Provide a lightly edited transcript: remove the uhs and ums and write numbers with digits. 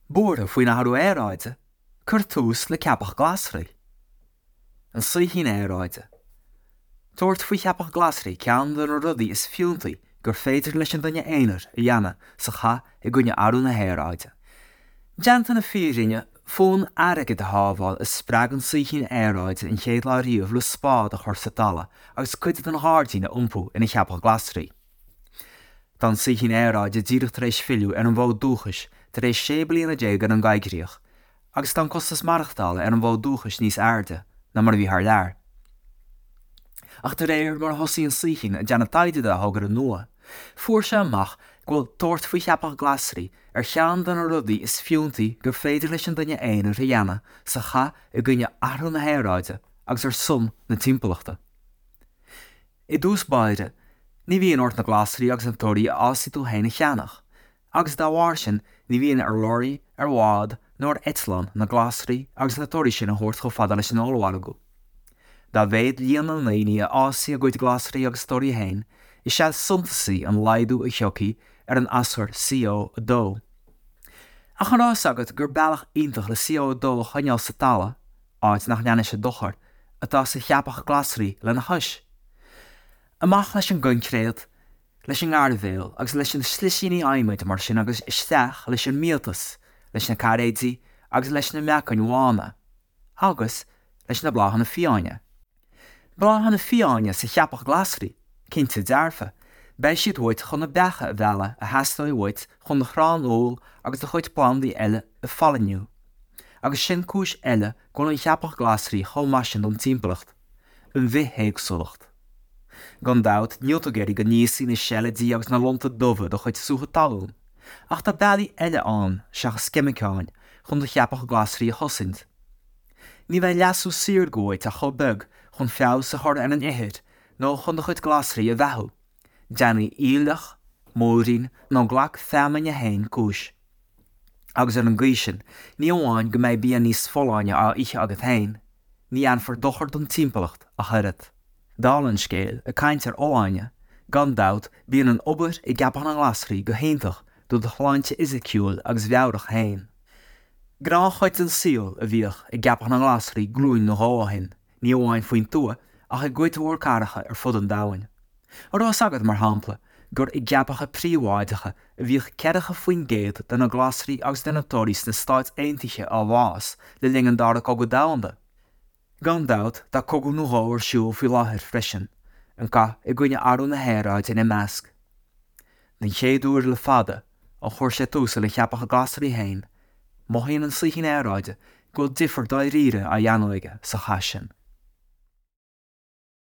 Buartha faoin athrú aeráide? Cuir tús le ceapach glasraí. An Saoithín Aeráide. Tabhairt faoi cheapach glasraí ceann de na rudaí is fiúntaí gur féidir leis an duine aonair a dhéanamh sa chath i gcoinne athrú na haeráide. Déanta na fírinne, fonn airgid a shábháil a spreag an Saoithín Aeráide an chéad lá riamh le spád a chur sa talamh agus cuid den ghairdín a iompú ina cheapach glasraí. Tá an Saoithín Aeráide díreach tar éis filleadh ar an bhfód dúchais tar éis 16 bliana ar an gcoigríoch agus tá an costas maireachtála ar an bhfód dúchais níos airde ná mar a bhí thar lear. Ach de réir mar a thosaigh an Saoithín ag déanamh taighde dá thogra nua, fuair sé amach go bhfuil tabhairt faoi cheapach glasraí ar cheann de na rudaí is fiúntaí gur féidir leis an duine aonair a dhéanamh sa chath i gcoinne athrú na haeráide agus ar son na timpeallachta. I dtús báire, ní bhíonn ort na glasraí agus na torthaí a fhásfaidh tú féin a cheannach, agus dá bharr sin ní bhíonn ar lorraí, ar bhád nó ar eitleán na glasraí agus na torthaí sin a thabhairt chomh fada leis an ollmhargadh. Dá mhéad líon na ndaoine a fhásfaidh a gcuid glasraí agus torthaí féin, is ea is suntasaí an laghdú a thiocfaidh ar an aschur CO2. Ach an raibh fhios agat gur bealach iontach le CO2 a choinneáil sa talamh, áit nach ndéanann sé dochar, atá sa cheapach glasraí lena chois. Amach leis an gcoincréit, leis an ngairbhéal agus leis na slisíní adhmaid mar sin agus isteach leis an mbiatas, leis na cairéidí agus leis na meacain bhána. Agus leis na bláthanna fiáine. Bláthanna fiáine sa cheapach glasraí, cinnte dearfa, beidh siad uait chun na beacha a mhealladh a theastóidh uait chun do chrann úll agus do chuid plandaí eile a phailniú. Agus sin cúis eile go bhfuil an cheapach glasraí chomh maith sin don timpeallacht, an bhithéagsúlacht. Gan dabht, níl tú ag iarraidh go n-íosfaidh na seilidí agus na lonta dubha do chuid sútha talún, ach tá bealaí eile ann seachas ceimiceáin chun do cheapach glasraí a chosaint. Ní bheidh leasú saorga uait ach chomh beag chun feabhas a chur ar an ithir nó chun do chuid glasraí a bheathú. Déanaigh aoileach, múirín nó glac feamainne féin cúis. Agus ar an gcaoi sin, ní amháin go mbeidh bia níos folláine á ithe agat féin, ní dhéanfar dochar don timpeallacht ach oiread. Dála an scéil, ag caint ar fholláine, gan dabht, bíonn an obair i gceapach na nglasraí go hiontach do do shláinte fhisiciúil agus mheabhrach féin. Gnáthchuid den saol a bhíodh i gceapach na nglasraí glúin nó dhó ó shin, ní amháin faoin tuath ach i gcuid mhór cathracha ar fud an domhain. An raibh fhios agat, mar shampla, gur i gceapacha príobháideacha a bhíodh 40% de na glasraí agus de na torthaí sna Stáit Aontaithe á bhfás le linn an Dara Cogadh Domhanda? Gan dabht, tá cogadh nó dhó ar siúl faoi láthair freisin, an cath i gcoinne athrú na haeráide ina measc. Den chéad uair le fada, ó chuir sé tús lena cheapach glasraí féin, mothaíonn an Saoithín Aeráide go bhfuil difear dáiríre á dhéanamh aige sa chath sin.